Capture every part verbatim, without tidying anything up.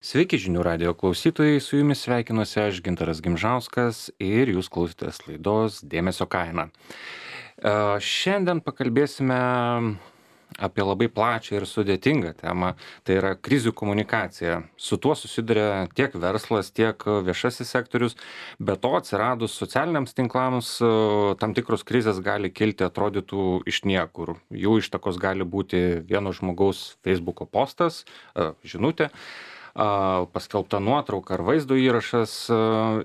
Sveiki žinių radijo klausytojai, su jumis sveikinuosi aš Gintaras Gimžauskas ir jūs klausotės laidos Dėmesio kaina. E, Šiandien pakalbėsime apie labai plačią ir sudėtingą temą, tai yra krizių komunikacija. Su tuo susiduria tiek verslas, tiek viešasis sektorius, be to atsiradus socialiniams tinklams e, tam tikros krizės gali kilti atrodytų iš niekur. Jų ištakos gali būti vieno žmogaus Facebooko postas, e, žinutė, a, paskelbta nuotrauka ar vaizdo įrašas. a,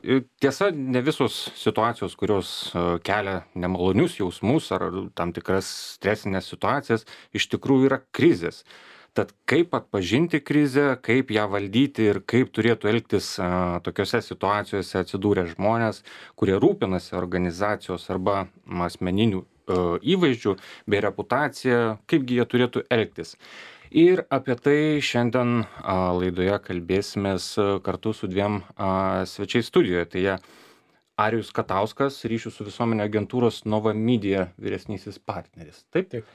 ir Tiesa, ne visos situacijos, kurios a, kelia nemalonius jausmus ar tam tikras stresinės situacijas, iš tikrųjų yra krizės. Tad kaip atpažinti krizę, kaip ją valdyti ir kaip turėtų elgtis a, tokiose situacijose atsidūrę žmonės, kurie rūpinasi organizacijos arba asmeninių a, įvaizdžių bei reputacija, kaipgi jie turėtų elgtis. Ir apie tai šiandien a, laidoje kalbėsimės a, kartu su dviem a, svečiais studijoje. Tai jie Arijus Katauskas, ryšių su visuomenė agentūros Nova Media vyresnysis partneris. Taip? Taip.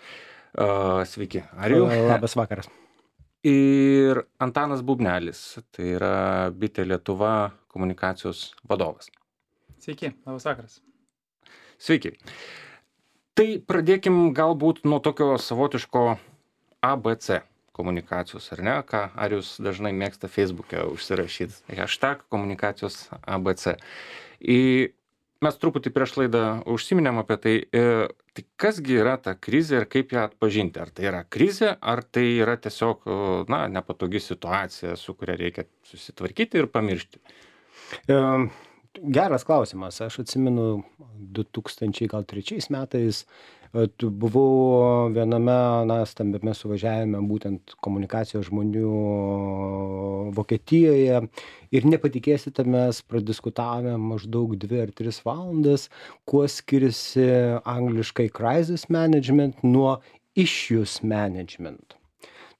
A, Sveiki, Arijau. Labas vakaras. Ir Antanas Bubnelis, tai yra Bitė Lietuva komunikacijos vadovas. Sveiki, labas vakaras. Sveiki. Tai pradėkim galbūt nuo tokio savotiško A B C komunikacijos, ar ne, ką Arijus dažnai mėgsta Facebook'e užsirašyti. Hashtag komunikacijos A B C. Ir mes truputį prieš laidą užsiminėm apie tai, e, tai kasgi yra ta krizė ir kaip ją atpažinti. Ar tai yra krizė, ar tai yra tiesiog, na, nepatogi situacija, su kuria reikia susitvarkyti ir pamiršti. E, geras klausimas. Aš atsimenu du tūkstančiai trečiais metais e, tu buvau viename, na, stambiame suvažiavime būtent komunikacijos žmonių Vokietijoje ir nepatikėsite, mes pradiskutavome maždaug dvi ar tris valandas, kuo skiriasi angliškai crisis management nuo issues management.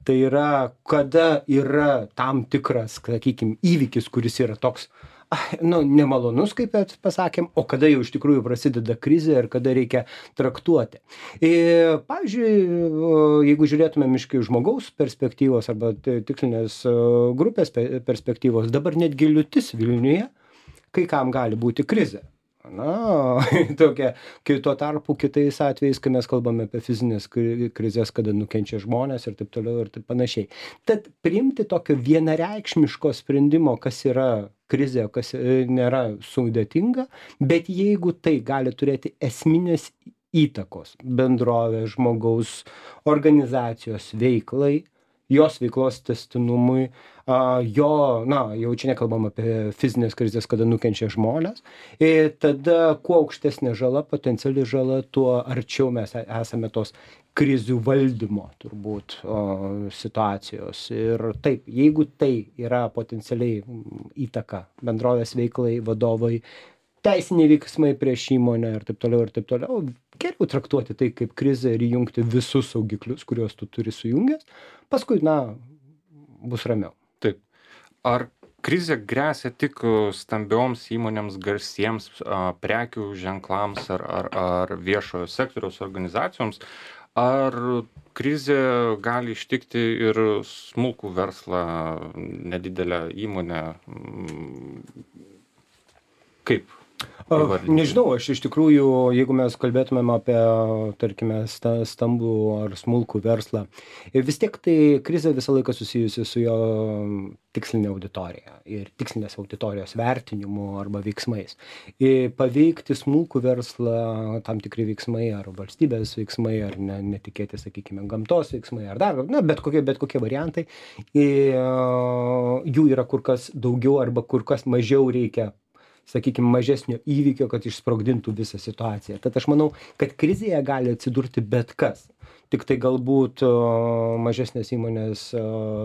Tai yra, kada yra tam tikras, sakykime, įvykis, kuris yra toks, ai, nu, nemalonus, kaip pasakėm, o kada jau iš tikrųjų prasideda krizė ir kada reikia traktuoti. Ir, pavyzdžiui, jeigu žiūrėtumėm iš žmogaus perspektyvos arba tikslinės grupės perspektyvos, dabar netgi liūtis Vilniuje, kai kam gali būti krizė. Na, tokia, kai tuo tarpu kitais atvejais, kai mes kalbame apie fizinės krizės, kada nukenčia žmonės ir taip toliau ir taip panašiai. Tad priimti tokio vienareikšmiško sprendimo, kas yra krizė, kas nėra sudėtinga, bet jeigu tai gali turėti esminės įtakos bendrovės, žmogaus, organizacijos veiklai, jos veiklos testinumui, jo, na, jau čia nekalbam apie fizinės krizės, kada nukenčia žmonės, ir tada kuo aukštesnė žala, potenciali žala, tuo arčiau mes esame tos krizių valdymo, turbūt, o, situacijos. Ir taip, jeigu tai yra potencialiai įtaka bendrovės veiklai, vadovai, teisiniai veiksmai prieš įmonę ir taip toliau ir taip toliau, geriau traktuoti tai kaip krizę ir įjungti visus saugiklius, kuriuos tu turi sujungęs, paskui, na, bus ramiau. Taip. Ar krizė grėsia tik stambioms įmonėms, garsiems a, prekių ženklams ar, ar, ar viešojo sektoriaus organizacijoms, ar krizė gali ištikti ir smulkų verslą, nedidelę įmonę? Kaip? Nežinau, aš iš tikrųjų, jeigu mes kalbėtumėm apie, tarkime, stambų ar smulkų verslą, vis tiek tai krizė visą laiką susijusi su jo tikslinė auditorija ir tikslinės auditorijos vertinimu arba veiksmais. Ir paveikti smulkų verslą tam tikri veiksmai ar valstybės veiksmai ar ne, netikėti, sakykime, gamtos veiksmai ar dar, na, bet kokie, bet kokie variantai, ir jų yra kur kas daugiau arba kur kas mažiau reikia, sakykime, mažesnio įvykio, kad išsprogdintų visą situaciją. Tad aš manau, kad krizėje gali atsidurti bet kas. Tik tai galbūt o, mažesnės įmonės o,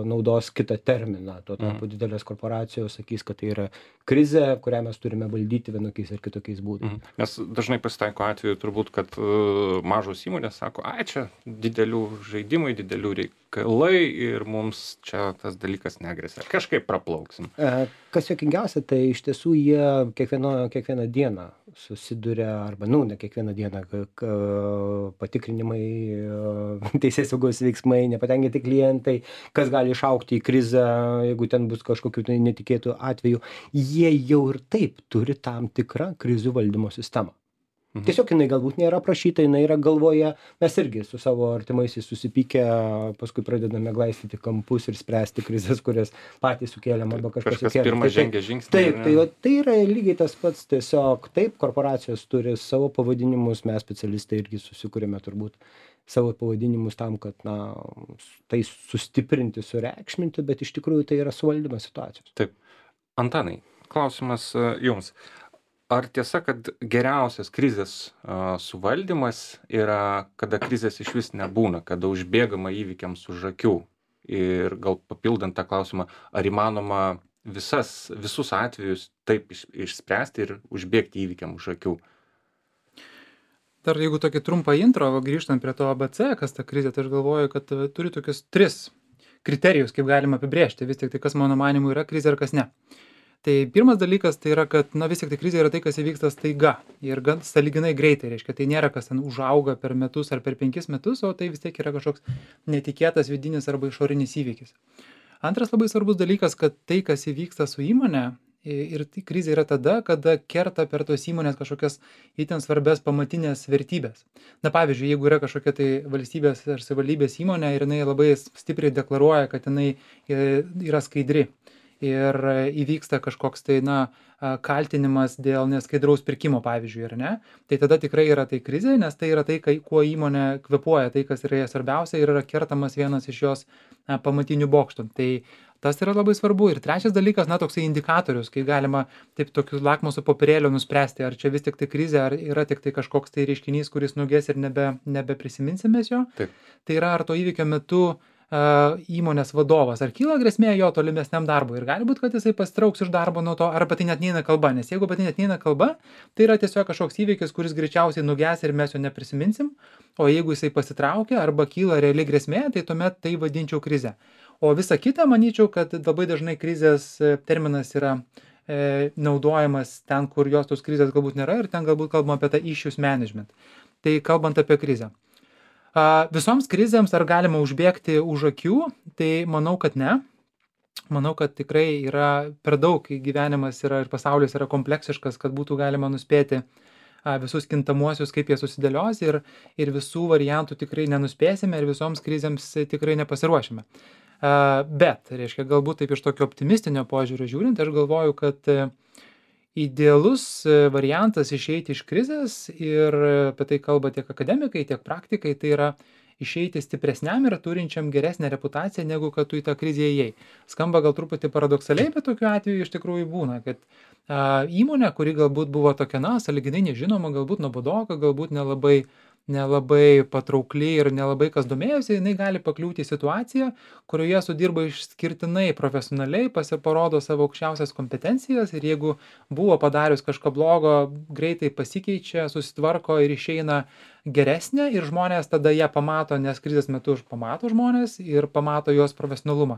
naudos kitą terminą. Tuo tarpu didelės korporacijos sakys, kad tai yra krizė, kurią mes turime valdyti vienokiais ir kitokiais būdais. Mhm. Nes dažnai pasitaiko atveju turbūt, kad uh, mažos įmonės sako, ai čia didelių žaidimai, didelių reikalai ir mums čia tas dalykas negresia. Kažkaip praplauksim. E, kas juokingiausia, tai iš tiesų jie kiekvieno, kiekvieną dieną susiduria arba, nu, ne kiekvieną dieną ka- ka- patikrinimai, teisės saugos veiksmai, nepatenkinti klientai, kas gali išaukti į krizę, jeigu ten bus kažkokių tai netikėtų atvejų, jie jau ir taip turi tam tikrą krizių valdymo sistemą. Mhm. Tiesiog jinai galbūt nėra aprašyta, jinai yra galvoje, mes irgi su savo artimaisiais susipykę, paskui pradedame glaistyti kampus ir spręsti krizes, kurias patys sukėlėm arba kažkas Kažkas sukėlė. pirmą Tai- žengia žingsnį. Taip, ar tai, ne? va, tai yra lygiai tas pats, tiesiog taip, korporacijos turi savo pavadinimus, mes specialistai irgi susikūrėme turbūt savo pavadinimus tam, kad na, tai sustiprinti, sureikšminti, bet iš tikrųjų tai yra suvaldymas situacijos. Taip. Antanai, klausimas e, jums. Ar tiesa, kad geriausias krizės a, suvaldymas yra, kada krizės iš vis nebūna, kada užbėgama įvykiams už akių? Ir gal papildant tą klausimą, ar įmanoma visas, visus atvejus taip iš, išspręsti ir užbėgti įvykiam už akių? Dar jeigu tokį trumpą intro, va, grįžtant prie to A B C, kas ta krizė, tai aš galvoju, kad e, turi tokius tris kriterijus, kaip galima apibrėžti, vis tik tai kas mano manimu yra krizė ir kas ne. Tai pirmas dalykas tai yra, kad na vis tik tai krizė yra tai, kas įvyksta staiga ir gan sąlyginai greitai, reiškia, tai nėra kas ten užauga per metus ar per penkis metus, o tai vis tiek yra kažkoks netikėtas vidinis arba išorinis įvykis. Antras labai svarbus dalykas, kad tai, kas įvyksta su įmonė, i- ir tai krizė yra tada, kada kerta per tos įmonės kažkokias itin svarbias pamatinės vertybės. Na pavyzdžiui, jeigu yra kažkokia tai valstybės ar savivaldybės įmonė ir jinai labai stipriai deklaruoja, kad jinai e, yra skaidri ir e, įvyksta kažkoks tai, na, a, kaltinimas dėl neskaidraus pirkimo, pavyzdžiui, ar ne, tai tada tikrai yra tai krizė, nes tai yra tai, kai, kuo įmonė kvepuoja, tai, kas yra jai svarbiausia ir yra kertamas vienas iš jos a, pamatinių bokštų. Tai tas yra labai svarbu. Ir trečias dalykas, na, toksai indikatorius, kai galima taip tokiu lakmuso popierėliu nuspręsti, ar čia vis tik tai krizė, ar yra tik tai kažkoks tai reiškinys, kuris nugės ir nebe, nebeprisiminsim mes jo. Taip. Tai yra, ar to įvykio metu a, įmonės vadovas, ar kyla grėsmė jo tolimesniam darbui. Ir gali būti, kad jisai pasitrauks iš darbo nuo to, ar apie tai net neina kalba. Nes jeigu apie tai net neina kalba, tai yra tiesiog kažkoks įvykis, kuris greičiausiai nugės ir mes jo neprisiminsim. O jeigu jisai pasitraukia arba kyla reali grėsmė, tai tuomet tai vadinčiau krize. O visa kita, manyčiau, kad labai dažnai krizės e, terminas yra e, naudojamas ten, kur jos tos krizės galbūt nėra ir ten galbūt kalbama apie tą issues management. Tai kalbant apie krizę. A, visoms krizėms ar galima užbėgti už akių, tai manau, kad ne. Manau, kad tikrai yra per daug gyvenimas yra ir pasaulis yra kompleksiškas, kad būtų galima nuspėti a, visus kintamuosius, kaip jie susidėlios ir, ir visų variantų tikrai nenuspėsime ir visoms krizėms e, tikrai nepasiruošime. A, bet, reiškia, galbūt taip iš tokio optimistinio požiūrio žiūrint, aš galvoju, kad e, idealus e, variantas išeiti iš krizės ir e, apie tai kalba tiek akademikai, tiek praktikai, tai yra išeiti stipresniam ir turinčiam geresnę reputaciją, negu kad tu į tą krizę įėjai. Skamba gal truputį paradoksaliai, bet tokiu atveju iš tikrųjų būna, kad a, įmonė, kuri galbūt buvo tokia, na, sąlyginai nežinoma, galbūt nuobodoka, galbūt nelabai nelabai patraukli ir nelabai kas domėjosi, jinai gali pakliūti į situaciją, kurioje sudirba išskirtinai profesionaliai, pasiparodo savo aukščiausias kompetencijas ir jeigu buvo padarius kažką blogo, greitai pasikeičia, susitvarko ir išeina geresnė ir žmonės tada ją pamato, nes krizės metu pamato žmonės ir pamato jos profesionalumą.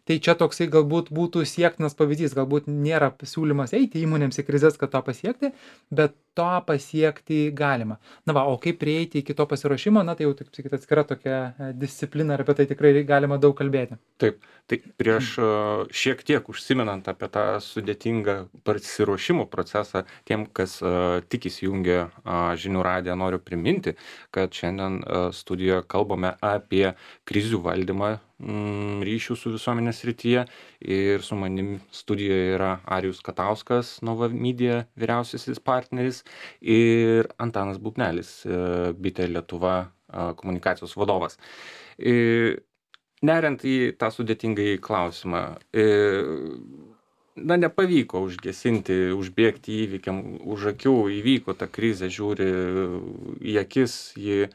Tai čia toksai galbūt būtų siektinas pavyzdys, galbūt nėra siūlymas eiti įmonėms į krizės, kad to pasiekti, bet to pasiekti galima. Na va, o kaip prieiti iki to pasiruošimo, na tai jau, taip sakyti, atskira tokia e, disciplina ir apie tai tikrai galima daug kalbėti. Taip, tai prieš a, šiek tiek užsimenant apie tą sudėtingą pasiruošimo procesą, tiem, kas a, tik įsijungia a, žinių radiją, noriu priminti, kad šiandien a, studijoje kalbame apie krizių valdymą mm, ryšių su visuomenės srityje ir su manim studijoje yra Arijus Katauskas, Nova Media vyriausiasis partneris ir Antanas Bubnelis, e, Bitė Lietuva a, komunikacijos vadovas. E, Neriant į tą sudėtingąjį klausimą, e, na, nepavyko užgesinti, užbėgti įvykiam už akių, įvyko ta krizė, žiūri į akis, ji e,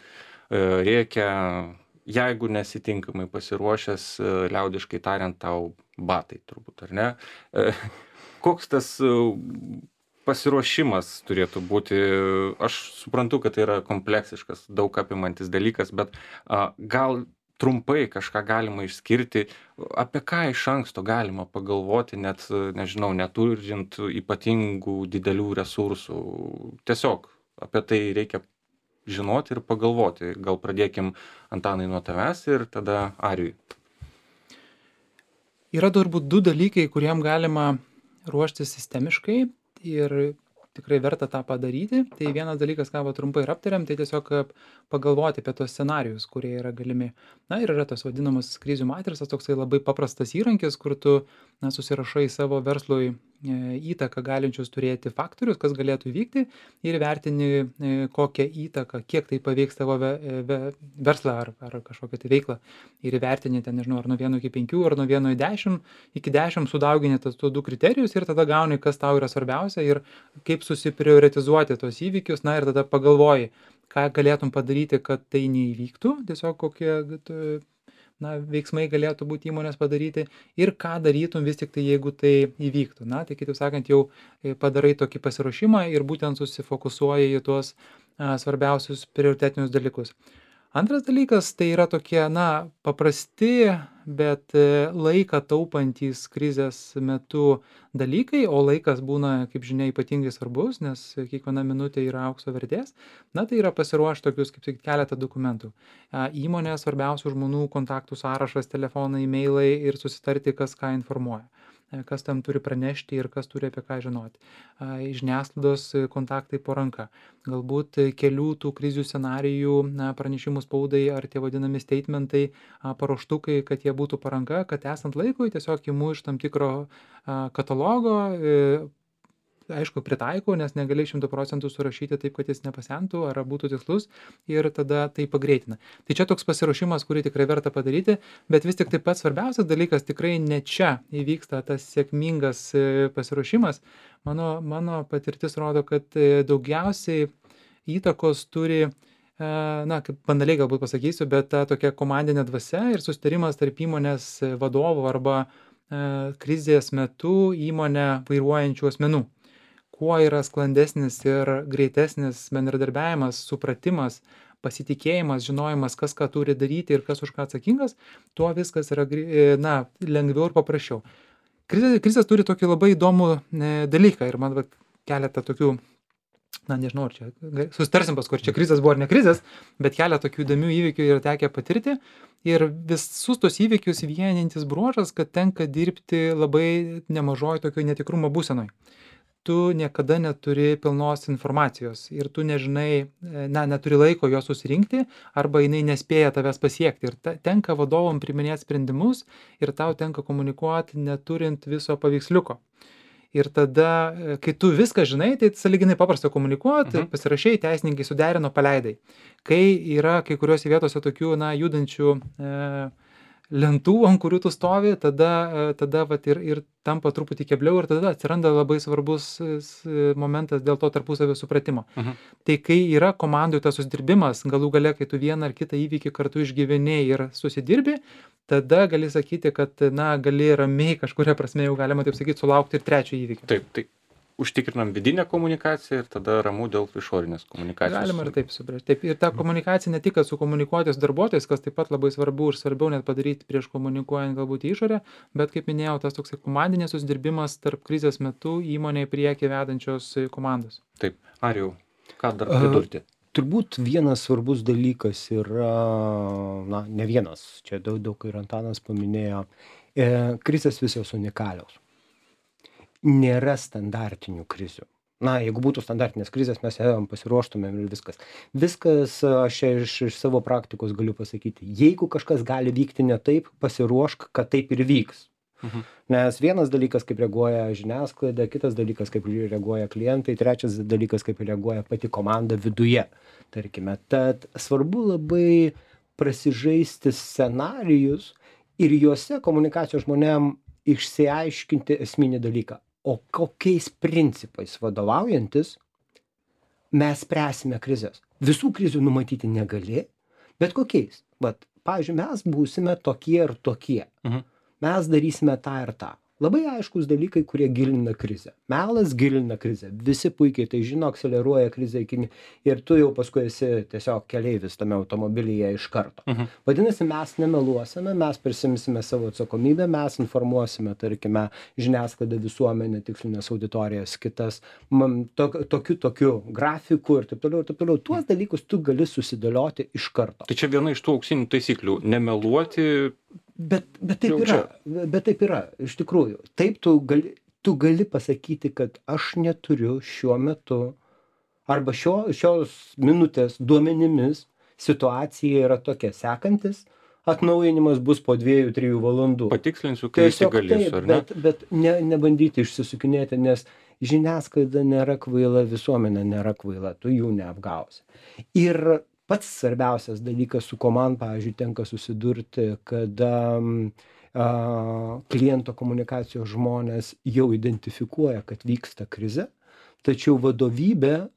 rėkia, jeigu nesitinkamai pasiruošęs, e, liaudiškai tariant, tau batai turbūt, ar ne? E, koks tas e, pasiruošimas turėtų būti? Aš suprantu, kad tai yra kompleksiškas, daug apimantis dalykas, bet a, gal trumpai kažką galima išskirti, apie ką iš anksto galima pagalvoti, net, nežinau, neturint ypatingų didelių resursų. Tiesiog apie tai reikia žinoti ir pagalvoti. Gal pradėkim, Antanai, nuo tavęs ir tada Arijui. Yra turbūt du dalykai, kuriem galima ruoštis sistemiškai ir tikrai verta tą padaryti. Tai vienas dalykas, ką va trumpai ir aptariam, tai tiesiog pagalvoti apie tos scenarijus, kurie yra galimi. Na ir yra tos vadinamas krizių matricas, toksai labai paprastas įrankis, kur tu na, susirašai savo verslui e, įtaką galinčius turėti faktorius, kas galėtų įvykti ir vertini e, kokią įtaką, kiek tai paveiks tavo ve, ve, verslą ar, ar kažkokią tai veiklą. Ir įvertini ten, nežinau, ar nuo vieno iki penkių, ar nuo vieno iki dešimt, iki dešimt sudaugini tas tuos du kriterijus ir tada gauni, kas tau yra svarbiausia ir kaip susiprioritizuoti tos įvykius, na ir tada pagalvoji, ką galėtum padaryti, kad tai neįvyktų, tiesiog kokie na, veiksmai galėtų būti įmonės padaryti ir ką darytum vis tik tai, jeigu tai įvyktų. Na, tai kitaip sakant, jau padarai tokį pasiruošimą ir būtent susifokusuoji į tuos a, svarbiausius prioritetinius dalykus. Antras dalykas tai yra tokie, na, paprasti, bet laiką taupantys krizės metu dalykai, o laikas būna, kaip žinia, ypatingai svarbus, nes kiekviena minutė yra aukso vertės. Na, tai yra pasiruošti tokius, kaip sakyti, keletą dokumentų. Įmonės svarbiausių žmonių kontaktų sąrašas, telefonai, e-mailai ir susitarti, kas ką informuoja, kas tam turi pranešti ir kas turi apie ką žinoti. Žiniasklaidos kontaktai po ranka. Galbūt kelių tų krizių scenarijų na, pranešimų spaudai ar tie vadinami statementai, paruoštukai, kad jie būtų po ranka, kad esant laikui tiesiog imu iš tam tikro katalogo, aišku, pritaikau, nes negali šimtu procentų surašyti taip, kad jis nepasentų ar būtų tikslus ir tada tai pagreitina. Tai čia toks pasiruošimas, kurį tikrai verta padaryti, bet vis tik taip pat svarbiausias dalykas tikrai ne čia įvyksta tas sėkmingas pasiruošimas. Mano, mano patirtis rodo, kad daugiausiai įtakos turi, na, kaip banaliai galbūt pasakysiu, bet ta tokia komandinė dvasia ir susitarimas tarp įmonės vadovų arba krizės metu įmonę vairuojančių asmenų. Kuo yra sklandesnis ir greitesnis bendradarbiavimas, supratimas, pasitikėjimas, žinojimas, kas ką turi daryti ir kas už ką atsakingas, tuo viskas yra na, lengviau ir paprasčiau. Krizės, krizės turi tokį labai įdomų dalyką ir man va, keletą tokių, na nežinau, ar čia susitarsim paskui, ar čia krizės buvo ar ne krizės, bet keletą tokių įdomių įvykių yra tekę patirti ir visus tos įvykius vienintis bruožas, kad tenka dirbti labai nemažoj tokio netikrumo būsenoj. Tu niekada neturi pilnos informacijos ir tu nežinai, na, neturi laiko jos susirinkti arba jinai nespėja tavęs pasiekti. Ir ta, tenka vadovom priiminėti sprendimus ir tau tenka komunikuoti neturint viso paveiksliuko. Ir tada, kai tu viską žinai, tai sąlyginai paprasta komunikuoti, mhm. pasirašai, teisininkai suderino, paleidai. Kai yra kai kuriuose vietose tokių, na, judančių e, lentų, ant kurių tu stovi, tada, tada vat, ir, ir tampa truputį kebliau ir tada atsiranda labai svarbus momentas dėl to tarpusavio supratimo. Uh-huh. Tai kai yra komandų tas susidirbimas, galų gale, kai tu vieną ar kitą įvykį kartu išgyveni ir susidirbi, tada gali sakyti, kad, na, gali ramiai kažkuria prasme jau galima taip sakyti sulaukti ir trečio įvykio. Taip, tai užtikrinam vidinę komunikaciją ir tada ramu dėl išorinės komunikacijos. Galima ir taip suprasti. Taip, ir ta komunikacija ne tik su komunikuotis darbuotojais, kas taip pat labai svarbu ir svarbiau net padaryti prieš komunikuojant galbūt į išorę, bet kaip minėjau, tas toks komandinės susidirbimas tarp krizės metu įmonėje priekį vedančios komandos. Taip, Arijau, ką dar pridurti? Uh, turbūt vienas svarbus dalykas yra, na, ne vienas, čia daug, daug ir Antanas paminėjo, e, krizės visos unikalios. Nėra standartinių krizių. Na, jeigu būtų standartinės krizės, mes ėjom, pasiruoštumėm ir viskas. Viskas, aš iš, iš savo praktikos galiu pasakyti, jeigu kažkas gali vykti ne taip, pasiruošk, kad taip ir vyks. Mhm. Nes vienas dalykas, kaip reaguoja žiniasklaida, kitas dalykas, kaip reaguoja klientai, trečias dalykas, kaip reaguoja pati komanda viduje, tarkime. Tad svarbu labai prasižaisti scenarijus ir juose komunikacijos žmonėm išsiaiškinti esminį dalyką. O kokiais principais vadovaujantis mes spręsime krizės. Visų krizių numatyti negali, bet kokiais. Vat, pavyzdžiui, mes būsime tokie ir tokie. Mhm. Mes darysime tą ir tą. Labai aiškūs dalykai, kurie gilina krizę. Melas gilina krizę. Visi puikiai tai žino, akceleruoja krizę iki ir tu jau paskui esi tiesiog keleivis tame automobilyje iš karto. Mhm. Vadinasi, mes nemeluosime, mes prisimsime savo atsakomybę, mes informuosime, tarkime, žiniasklaidą, visuomenę, tikslinės auditorijas, kitas, man, to, tokiu, tokiu grafiku ir taip toliau, ir taip toliau. Tuos dalykus tu gali susidėlioti iš karto. Tai čia viena iš tų auksinių taisyklių - nemeluoti. Bet, bet taip Jau yra, bet taip yra, iš tikrųjų. Taip tu gali, tu gali pasakyti, kad aš neturiu šiuo metu arba šio, šios minutės duomenimis situacija yra tokia sekantis, atnaujinimas bus po dviejų, trijų valandų. Patikslinsiu, kai įsigalėsiu, ar ne? Bet, bet ne, nebandyti išsisukinėti, nes žiniasklaida nėra kvaila, visuomenė nėra kvaila, tu jų neapgausi. Ir pats svarbiausias dalykas, su kuo man, pavyzdžiui, tenka susidurti, kada a, kliento komunikacijos žmonės jau identifikuoja, kad vyksta krize, tačiau vadovybė a,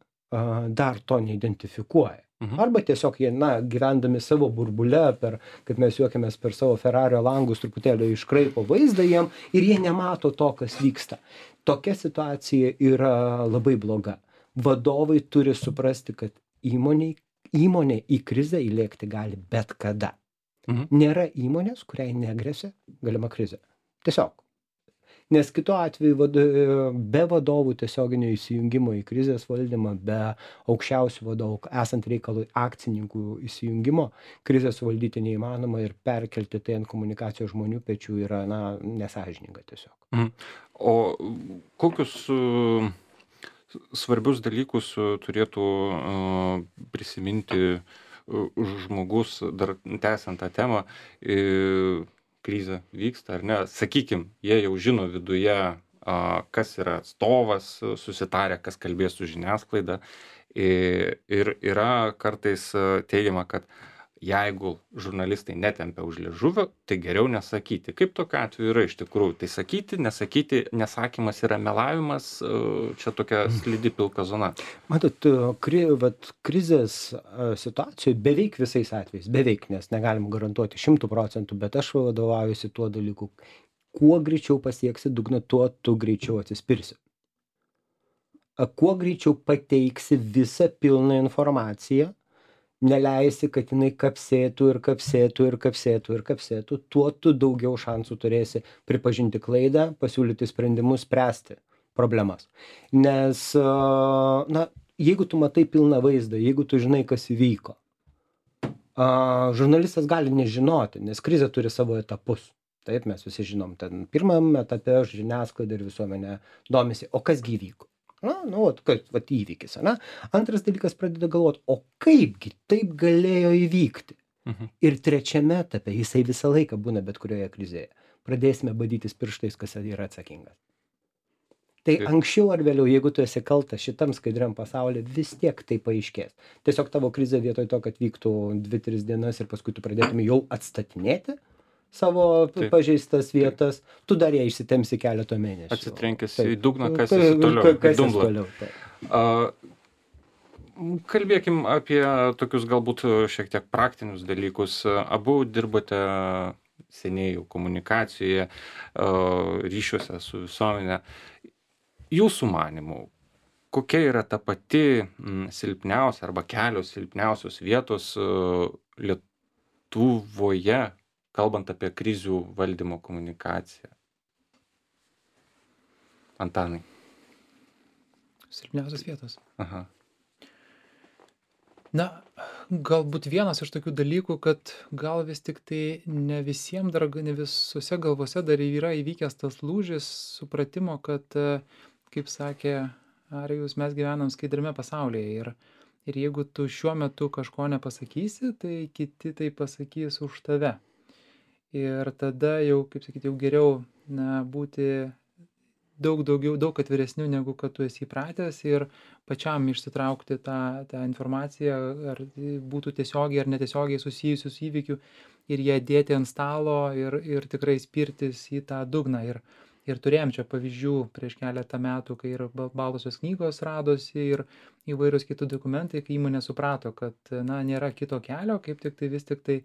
dar to neidentifikuoja. Mhm. Arba tiesiog jie, na, gyvendami savo burbule, per, kaip mes juokiamės, per savo Ferrario langus truputėlį iškraipo vaizdą jiem ir jie nemato to, kas vyksta. Tokia situacija yra labai bloga. Vadovai turi suprasti, kad įmoniai Įmonė į krizę įlėkti gali bet kada. Mhm. Nėra įmonės, kuriai negresia galima krizė. Tiesiog. Nes kitu atveju vado, be vadovų tiesioginio įsijungimo į krizės valdymą, be aukščiausių vadovų, esant reikalui akcininkų įsijungimo, krizę suvaldyti neįmanoma ir perkelti tai ant komunikacijos žmonių pečių yra, na, nesąžininga tiesiog. Mhm. O kokius uh, svarbius dalykus turėtų uh, prisiminti uh, žmogus, dar tęsiant tą temą, uh, krizė vyksta ar ne, sakykim, jie jau žino viduje, uh, kas yra atstovas, susitarę, kas kalbės su žiniasklaida, ir, ir yra kartais teigiama, kad jeigu žurnalistai netempia už liežuvio, tai geriau nesakyti. Kaip tokiu atveju yra iš tikrųjų? Tai sakyti, nesakyti, nesakymas yra melavimas, čia tokia slidi pilka zona. Matot, kri, vat, krizės situacijoje beveik visais atvejais, beveik, nes negalim garantuoti šimtų procentų, bet aš vadovaujuosi tuo dalyku. Kuo greičiau pasieksi dugną, tuo tu greičiau atsispirsi. Kuo greičiau pateiksi visą pilną informaciją, neleisi, kad jinai kapsėtų ir kapsėtų ir kapsėtų ir kapsėtų, tuo tu daugiau šansų turėsi pripažinti klaidą, pasiūlyti sprendimus, spręsti problemas. Nes, na, jeigu tu matai pilną vaizdą, jeigu tu žinai, kas įvyko, žurnalistas gali nežinoti, nes krizė turi savo etapus. Taip, mes visi žinom, ten pirmam etape žiniasklaida ir visuomenė domisi, o kas gi įvyko. Na, nu, kad, vat įvykis, ne? Antras dalykas pradeda galvoti, o kaipgi taip galėjo įvykti. Mhm. Ir trečiame etape, jisai visą laiką būna bet kurioje krizėje. Pradėsime badytis pirštais, kas yra atsakingas. Tai Taip. Anksčiau ar vėliau, jeigu tu esi kaltas šitam skaidriam pasaulyje, vis tiek tai paaiškės. Tiesiog tavo krizė vietoj to, kad vyktų dvi tris dienas ir paskui tu pradėtum jau atstatinėti savo Taip. pažeistas vietas, tu dar ją išsitemsi keletą mėnesių. Atsitrenkęs Taip. į dugną, kas Ka- esi toliau, ka- į kas esi dumblą. toliau, taip. A, kalbėkim apie tokius galbūt šiek tiek praktinius dalykus. Abu dirbote seniai jau komunikacijoje, a, ryšiuose su visuomenė. Jūsų manimų, kokia yra ta pati m, silpniausia arba kelios silpniausios vietos a, Lietuvoje, kalbant apie krizių valdymo komunikaciją? Antanai. Silpniausios vietos. Aha. Na, galbūt vienas iš tokių dalykų, kad gal vis tik tai ne visiems dar, ne visose galvose dar yra įvykęs tas lūžis supratimo, kad, e, kaip sakė Arijus, mes gyvenam skaidriame pasaulyje ir, ir jeigu tu šiuo metu kažko nepasakysi, tai kiti tai pasakys už tave. Ir tada jau, kaip sakyti, jau geriau na, būti daug daugiau, daug atviresnių, negu kad tu esi įpratęs ir pačiam išsitraukti tą, tą informaciją, ar būtų tiesiogiai ar netiesiogiai susijusius įvykių ir ją dėti ant stalo ir, ir tikrai spirtis į tą dugną. Ir, ir turėjom čia pavyzdžių prieš keletą metų, kai ir baltosios knygos radosi ir įvairūs kitų dokumentai, kai įmonė suprato, kad na, nėra kito kelio, kaip tik tai vis tik tai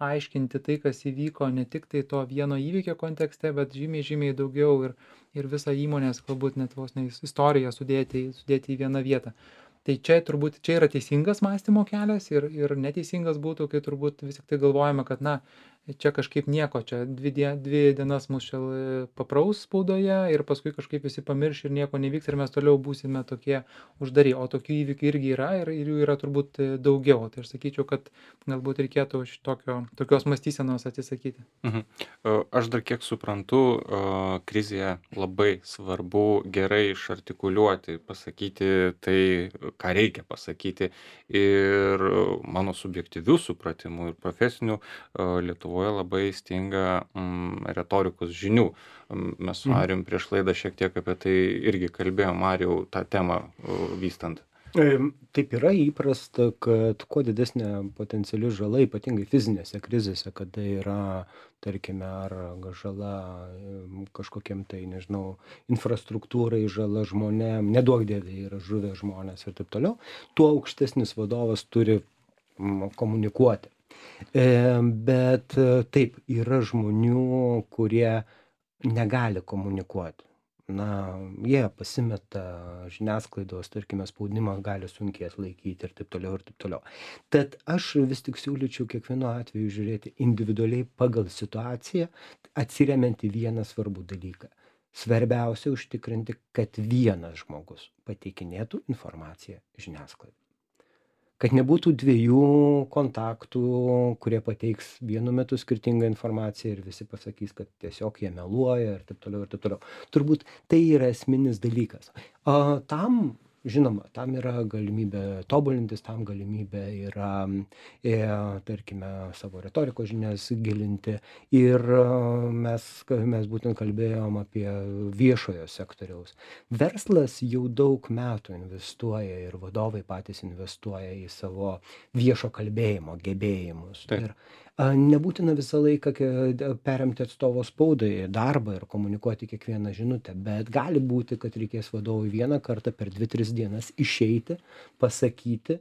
aiškinti tai, kas įvyko ne tik tai to vieno įvykio kontekste, bet žymiai, žymiai daugiau ir, ir visą įmonės, galbūt net vos ne istoriją sudėti, sudėti į vieną vietą. Tai čia turbūt čia yra teisingas mąstymo kelias ir, ir neteisingas būtų, kai turbūt vis tik tai galvojame, kad na, čia kažkaip nieko, čia dvi, die, dvi dienas mus čia papraus spaudoje ir paskui kažkaip visi pamirš ir nieko nevyks ir mes toliau būsime tokie uždari, o tokių įvykių irgi yra ir, ir jų yra turbūt daugiau. Tai aš sakyčiau, kad galbūt reikėtų šitokio, tokios mąstysenos atsisakyti. Mhm. Aš dar kiek suprantu, krizėje labai svarbu gerai išartikuliuoti, pasakyti tai, ką reikia pasakyti. Ir mano subjektyvių supratimų ir profesinių Lietuvoje labai stinga mm, retorikos žinių. Mes su Marijum prieš laidą šiek tiek apie tai irgi kalbėjom, Marijau, tą temą vystant. Taip yra įprasta, kad kuo didesnė potenciali žala, ypatingai fizinėse krizėse, kada yra, tarkime, ar žala kažkokiam tai, nežinau, infrastruktūrai, žala žmonėm, neduok dievė yra žuvę žmonės ir taip toliau, tuo aukštesnis vadovas turi komunikuoti. Bet taip, yra žmonių, kurie negali komunikuoti. Na, jie pasimeta žiniasklaidos, tarkime, spaudimą gali sunkiai atlaikyti ir taip toliau ir taip toliau. Tad aš vis tik siūlyčiau kiekvienu atveju žiūrėti individualiai pagal situaciją, atsiremiant į vieną svarbų dalyką. Svarbiausia užtikrinti, kad vienas žmogus pateikinėtų informaciją žiniasklaidai. Kad nebūtų dviejų kontaktų, kurie pateiks vienu metu skirtingą informaciją ir visi pasakys, kad tiesiog jie meluoja ir taip toliau ir taip toliau. Turbūt tai yra esminis dalykas. O tam, žinoma, tam yra galimybė tobulintis, tam galimybė yra, e, tarkime, savo retorikos žinias gilinti. Ir mes, mes būtent kalbėjom apie viešojo sektoriaus. Verslas jau daug metų investuoja ir vadovai patys investuoja į savo viešo kalbėjimo gebėjimus. Taip. Ir a, nebūtina visą laiką ke- perimti atstovo spaudai darbą ir komunikuoti kiekvieną žinutę, bet gali būti, kad reikės vadovui vieną kartą per dvi, tris dienas išeiti, pasakyti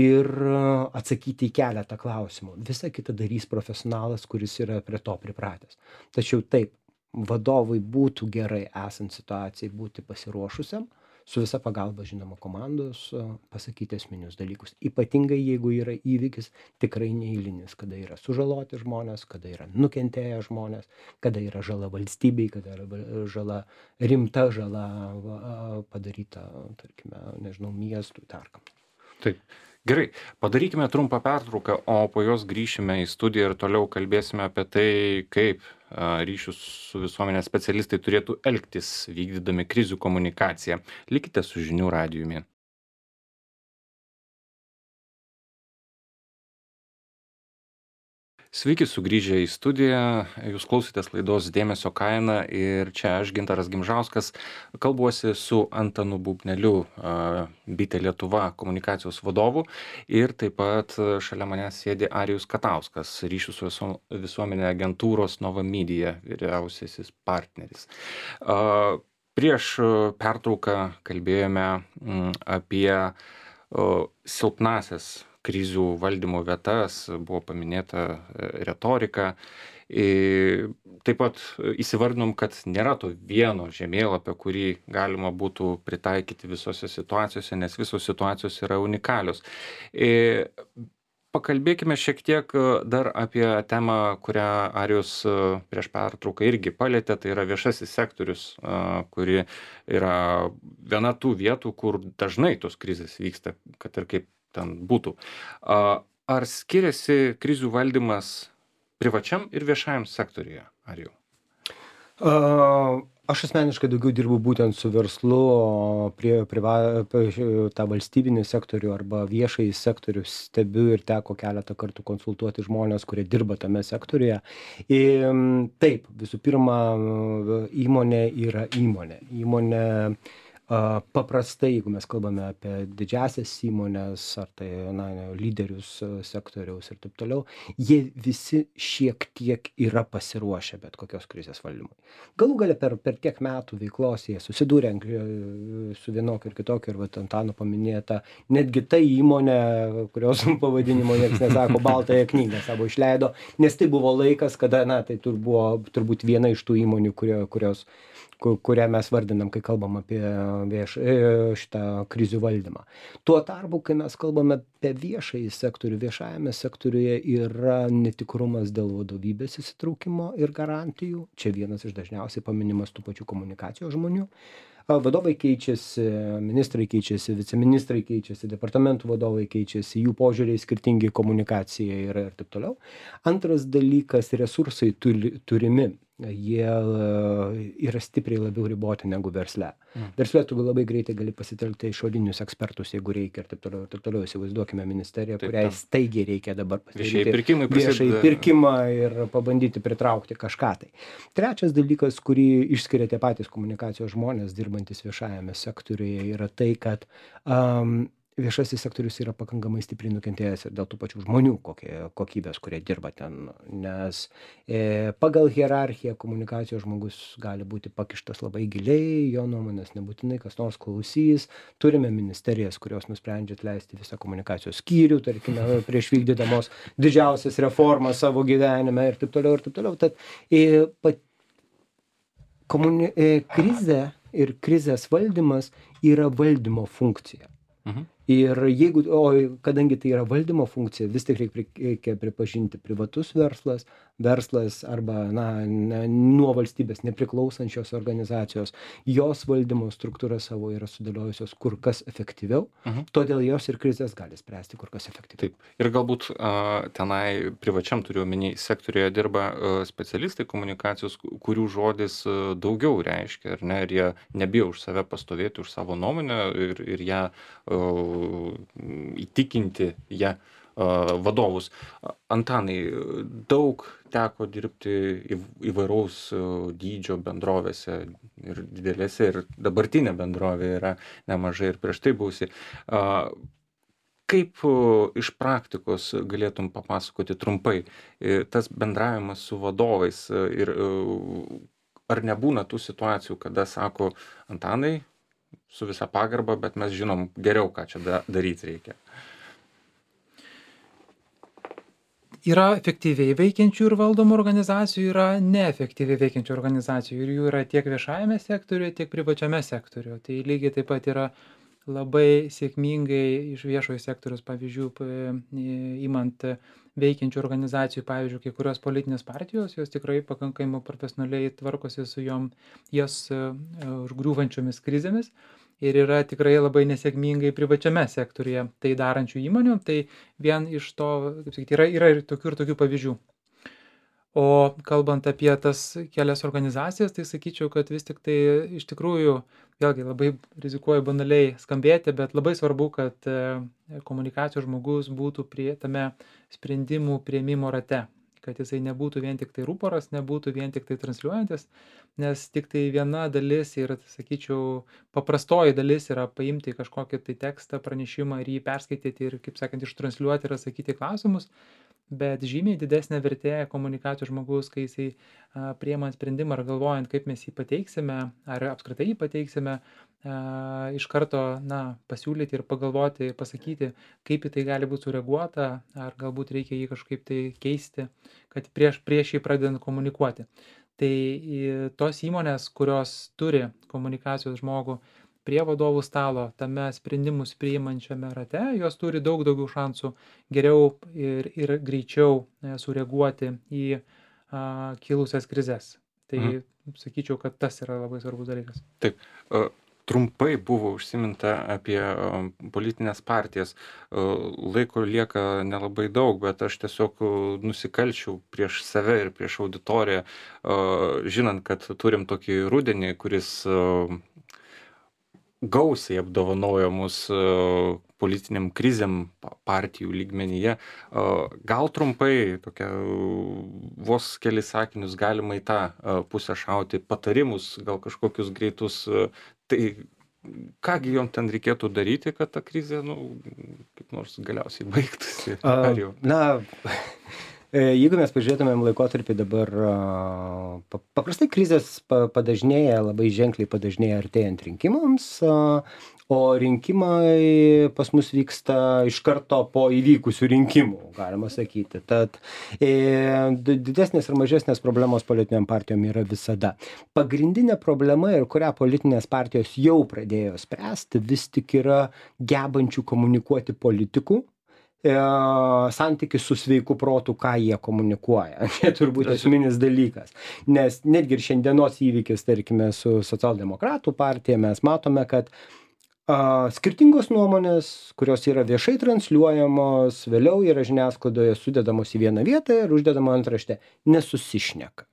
ir a, atsakyti į keletą klausimų. Visa kita darys profesionalas, kuris yra prie to pripratęs. Tačiau taip, vadovui būtų gerai esant situacijai būti pasiruošusiam, su visa pagalba, žinoma, komandos a, pasakyti esminius dalykus. Ypatingai, jeigu yra įvykis tikrai neeilinis, kada yra sužaloti žmonės, kada yra nukentėję žmonės, kada yra žala valstybei, kada yra val- žala, rimta žala a, padaryta, tarkime, nežinau, miestui, tarkam. Taip. Gerai, padarykime trumpą pertrauką, o po jos grįšime į studiją ir toliau kalbėsime apie tai, kaip a, ryšių su visuomenės specialistai turėtų elgtis vykdydami krizių komunikaciją. Likite su žinių radijumi. Sveiki sugrįžę į studiją, jūs klausotės laidos Dėmesio kaina ir čia aš, Gintaras Gimžauskas, kalbuosi su Antanu Bubneliu, a, Bitė Lietuva komunikacijos vadovu ir taip pat a, šalia manęs sėdi Arijus Katauskas, ryšių su viso- visuomenė agentūros Nova Media vyriausiasis partneris. A, Prieš a, pertrauką kalbėjome mm, apie a, silpnąsias krizių valdymo vietas, buvo paminėta e, retorika. I, taip pat e, įsivardinom, kad nėra to vieno žemėlapio, kurį galima būtų pritaikyti visose situacijose, nes visos situacijos yra unikalios. I, Pakalbėkime šiek tiek e, dar apie temą, kurią Arijus e, prieš pertrauką irgi palėtė, tai yra viešasis sektorius, e, kuri yra viena tų vietų, kur dažnai tos krizės vyksta, kad ir kaip ten būtų. A, Ar skiriasi krizių valdymas privačiam ir viešajam sektoriuje, Arijau? A, Aš asmeniškai daugiau dirbu būtent su verslu, o prie priva, apie tą valstybinį sektorių arba viešąjį sektorių stebiu ir teko keletą kartų konsultuoti žmonės, kurie dirba tame sektoriuje. Ir taip, visų pirma, įmonė yra įmonė. Įmonė a, paprastai, jeigu mes kalbame apie didžiasias įmonės, ar tai na, lyderius a, sektoriaus ir taip toliau, jie visi šiek tiek yra pasiruošę bet kokios krizės valdymui. Galų gale per, per tiek metų veiklos jie susidūrė ant- su vienokiu ir kitokiu, ir vat Antano paminėta, netgi ta įmonė, kurios pavadinimo niekas nesako, baltąją knygą savo išleido, nes tai buvo laikas, kada, na, tai tur buvo turbūt viena iš tų įmonių, kurio, kurios ku- kurią mes vardinam, kai kalbam apie vieš, e, šitą krizių valdymą. Tuo tarpu, kai mes kalbame apie viešąjį sektorių, viešajame sektoriuje yra netikrumas dėl vadovybės įsitraukimo ir garantijų. Čia vienas iš dažniausiai paminimas tų pačių komunikacijos žmonių. A, Vadovai keičiasi, ministrai keičiasi, viceministrai keičiasi, departamentų vadovai keičiasi, jų požiūriai skirtingi komunikacijai ir, ir taip toliau. Antras dalykas - resursai tuli- turimi. Jie e, yra stipriai labiau riboti negu versle. Mm. Versle tu labai greitai gali pasitelkti išorinius ekspertus, jeigu reikia ir taip toliau. Ir taip toliau. Įsivaizduokime ministeriją, Taip, kuriai taip. staigiai reikia dabar Viešieji pasidaryti pirkimai viešai prasideda. pirkimą ir pabandyti pritraukti kažką tai. Trečias dalykas, kurį išskiria tie patys komunikacijos žmonės, dirbantis viešajame sektoriuje, yra tai, kad um, viešasis sektorius yra pakankamai stipriai nukentėjęs ir dėl tų pačių žmonių kokie, kokybės, kurie dirba ten. Nes e, pagal hierarchiją komunikacijos žmogus gali būti pakištas labai giliai, jo nuomonės nebūtinai kas nors klausys. Turime ministerijas, kurios nusprendžia atleisti visą komunikacijos skyrių, tarkime, prieš vykdydamos didžiausias reformas savo gyvenime ir taip toliau ir taip toliau. Tad e, pat, komuni, e, krizė ir krizės valdymas yra valdymo funkcija. Mhm. Ir jeigu, o kadangi tai yra valdymo funkcija, vis tik reikia, reikia pripažinti privatus verslas, verslas arba na, ne, nuo valstybės nepriklausančios organizacijos, jos valdymo struktūra savo yra sudėliojusios kur kas efektyviau, Mhm. todėl jos ir krizės gali spręsti kur kas efektyviau. Taip. Ir galbūt a, tenai privačiam turiu omeny sektoriuje dirba a, specialistai komunikacijos, ku- kurių žodis a, daugiau reiškia, ar ne, ir jie nebijo už save pastovėti, už savo nuomonę ir, ir ją a, įtikinti ją a, vadovus. A, Antanai, daug teko dirbti įv- įvairaus a, dydžio bendrovėse ir didelėse, ir dabartinė bendrovė yra nemažai ir prieš tai buvusi. A, Kaip o, iš praktikos galėtum papasakoti trumpai e, tas bendravimas su vadovais e, ir e, ar nebūna tų situacijų, kada sako Antanai, su visa pagarba, bet mes žinom geriau, ką čia da, daryti reikia. Yra efektyviai veikiančių ir valdomų organizacijų, yra neefektyviai veikiančių organizacijų ir jų yra tiek viešajame sektoriuje, tiek privačiame sektoriuje. Tai lygiai taip pat yra labai sėkmingai iš viešojo sektoriaus pavyzdžių p- imant veikiančių organizacijų, pavyzdžiui, kai kurios politinės partijos, jos tikrai pakankamai profesionaliai tvarkosi su jom jas e, užgriūvančiomis krizėmis ir yra tikrai labai nesėkmingai privačiame sektoriuje tai darančių įmonių. Tai vien iš to, kaip sakyti, yra, yra ir tokių ir tokių pavyzdžių. O kalbant apie tas kelias organizacijas, tai sakyčiau, kad vis tik tai iš tikrųjų, vėlgi labai rizikuoju banaliai skambėti, bet labai svarbu, kad e, komunikacijos žmogus būtų prie tame sprendimų prieimimo rate, kad jisai nebūtų vien tik tai ruporas, nebūtų vien tik tai transliuojantis, nes tik tai viena dalis ir, sakyčiau, paprastoji dalis yra paimti kažkokį tai tekstą, pranešimą ir jį perskaityti ir, kaip sakant, ištransliuoti ir atsakyti į klausimus. Bet žymiai didesnė vertė komunikacijos žmogus, kai jisai a, priemant sprendimą ar galvojant, kaip mes jį pateiksime, ar apskritai jį pateiksime, a, iš karto na, pasiūlyti ir pagalvoti, pasakyti, kaip į tai gali būti sureaguota, ar galbūt reikia jį kažkaip tai keisti, kad prieš, prieš jį pradedant komunikuoti. Tai į, tos įmonės, kurios turi komunikacijos žmogų prie vadovų stalo, tame sprendimus priimančiame rate, jos turi daug daugiau šansų geriau ir, ir greičiau e, sureaguoti į a, kilusias krizes. Tai Mhm. sakyčiau, kad tas yra labai svarbus dalykas. Taip. a, Trumpai buvo užsiminta apie a, politinės partijas. A, Laiko lieka nelabai daug, bet aš tiesiog a, nusikalčiau prieš save ir prieš auditoriją, a, žinant, kad turim tokį rudenį, kuris a, gausiai apdovanojo mus a, politiniam krizėm pa- partijų lygmenyje. A, Gal trumpai, tokia, a, vos kelis sakinius galima į tą a, pusę šauti, patarimus, gal kažkokius greitus, a, tai kągi jom ten reikėtų daryti, kad ta krizė, nu, kaip nors galiausiai baigtųsi? A, Ar jau? Na, e, jeigu mes pažiūrėtumėm laikotarpį dabar, a, pa- paprastai krizės pa- padažnėja, labai ženkliai padažnėja artėjant rinkimams, a, o rinkimai pas mus vyksta iš karto po įvykusių rinkimų, galima sakyti. Tad e, di- didesnės ir mažesnės problemos politiniam partijom yra visada. Pagrindinė problema, ir kurią politinės partijos jau pradėjo spręsti, vis tik yra gebančių komunikuoti politikų e, santykis su sveiku protu, ką jie komunikuoja. Čia turbūt esminis dalykas. Nes netgi ir šiandienos įvykis, tarkime, su socialdemokratų partija, mes matome, kad a, skirtingos nuomonės, kurios yra viešai transliuojamos, vėliau yra žiniasklaidoje sudedamos į vieną vietą ir uždedama antraštė, nesusišneka.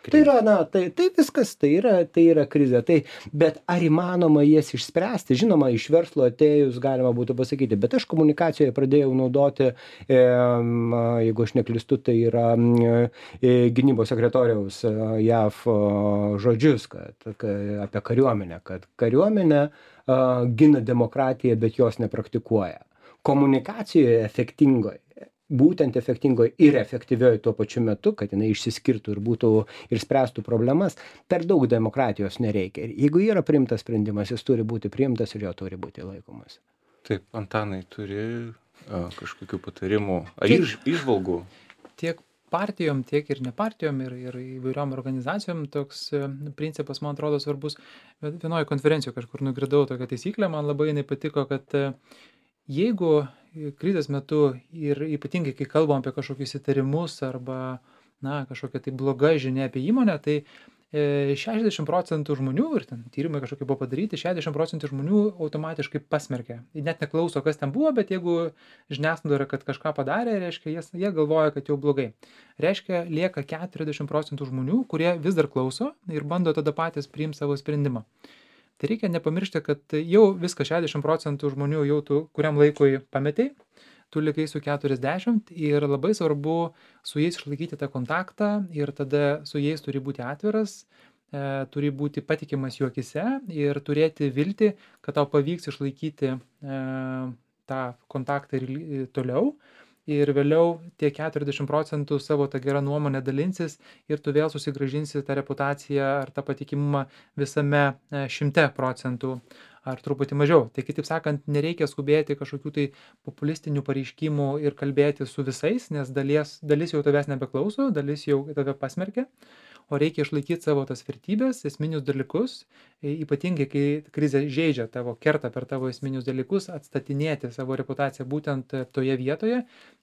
Tai yra, na, tai, tai viskas, tai yra, tai yra krizė. Tai, bet ar įmanoma jas išspręsti? Žinoma, iš verslo atėjus galima būtų pasakyti, bet aš komunikacijoje pradėjau naudoti, e, jeigu aš neklystu, tai yra e, gynybos sekretoriaus e, J A V o, žodžius kad, kad, apie kariuomenę, kad kariuomenė a, gina demokratiją, bet jos nepraktikuoja. Komunikacijoje efektingoje, būtent efektingoje ir efektyvioje tuo pačiu metu, kad jinai išsiskirtų ir būtų ir spręstų problemas, per daug demokratijos nereikia. Ir jeigu yra priimtas sprendimas, jis turi būti priimtas ir jo turi būti laikomas. Taip, Antanai, turi a, kažkokių patarimų ar Kiek- iš, išvalgų? Tiek partijom, tiek ir ne partijom, ir, ir įvairiom organizacijom toks e, principas, man atrodo, svarbus. Bet vienoje konferencijoje kažkur nugridau tokią taisyklę, man labai jinai patiko, kad e, jeigu krizės metu ir ypatingai, kai kalbam apie kažkokius įtarimus arba, na, kažkokia tai bloga žinia apie įmonę, tai e, šešiasdešimt procentų žmonių, ir ten tyrimai kažkokie buvo padaryti, šešiasdešimt procentų žmonių automatiškai pasmerkia. Net neklauso, kas ten buvo, bet jeigu žiniasklaida yra, kad kažką padarė, reiškia, jie, jie galvoja, kad jau blogai. Reiškia, lieka keturiasdešimt procentų žmonių, kurie vis dar klauso ir bando tada patys priimti savo sprendimą. Tai reikia nepamiršti, kad jau viską šešiasdešimt procentų žmonių jau tu kuriam laikui pametei, tu likai su keturiasdešimt ir labai svarbu su jais išlaikyti tą kontaktą ir tada su jais turi būti atviras, e, turi būti patikimas jų akyse ir turėti viltį, kad tau pavyks išlaikyti e, tą kontaktą ir li- toliau. Ir vėliau tie keturiasdešimt procentų savo tą gerą nuomonę dalinsis ir tu vėl susigrąžinsi tą reputaciją ar tą patikimumą visame e, šimte procentų ar truputį mažiau. Tai kitaip sakant, nereikia skubėti kažkokių tai populistinių pareiškimų ir kalbėti su visais, nes dalies, dalis jau tavęs nebeklauso, dalis jau tave pasmerkia, o reikia išlaikyti savo tas vertybės, esminius dalykus, e, ypatingai kai krizė žaidžia tavo, kerta per tavo esminius dalykus, atstatinėti savo reputaciją būtent e, toje vietoje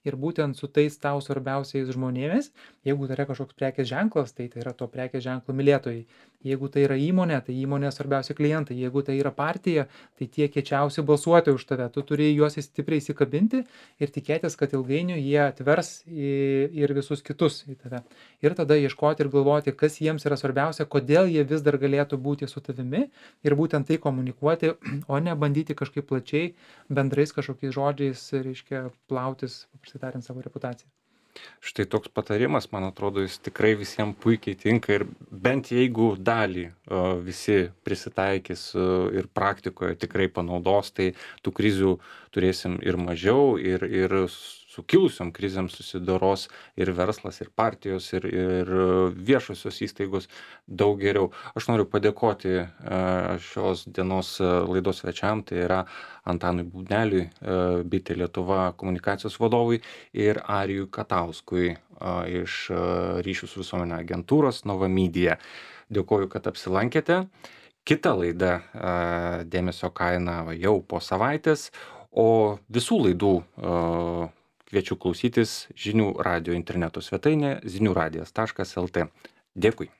ir būtent su tais tau svarbiausiais žmonėmis. Jeigu tai yra kažkoks prekės ženklas, tai tai yra to prekės ženklo mylėtojai. Jeigu tai yra įmonė, tai įmonės svarbiausi klientai. Jeigu tai yra partija, tai tie kiečiausi balsuotojai už tave. Tu turi juos stipriai įsikabinti ir tikėtis, kad ilgainiui jie atvers į- ir visus kitus į tave. Ir tada ieškoti ir galvoti, kas jiems yra svarbiausia, kodėl jie vis dar galėtų būti su tavimi ir būtent tai komunikuoti, o ne bandyti kažkaip plačiai bendrais kažkokiais žodžiais, reiškia, plautis, paprastai tariant, savo reputaciją. Štai toks patarimas, man atrodo, jis tikrai visiems puikiai tinka ir bent jeigu dalį o, visi prisitaikys o, ir praktikoje tikrai panaudos, tai tų krizių turėsim ir mažiau, ir, ir su kilusiom krizėm susidoros ir verslas, ir partijos, ir, ir viešosios įstaigos daug geriau. Aš noriu padėkoti e, šios dienos e, laidos svečiam, tai yra Antanui Bubneliui, e, Bitė Lietuva komunikacijos vadovui ir Arijui Katauskui e, iš e, ryšių su visuomenė agentūros Nova Media. Dėkoju, kad apsilankėte. Kita laida e, Dėmesio kaina va, jau po savaitės, o visų laidų e, kviečiu klausytis žinių radijo interneto svetainė zinių radijas taškas lt. Dėkui.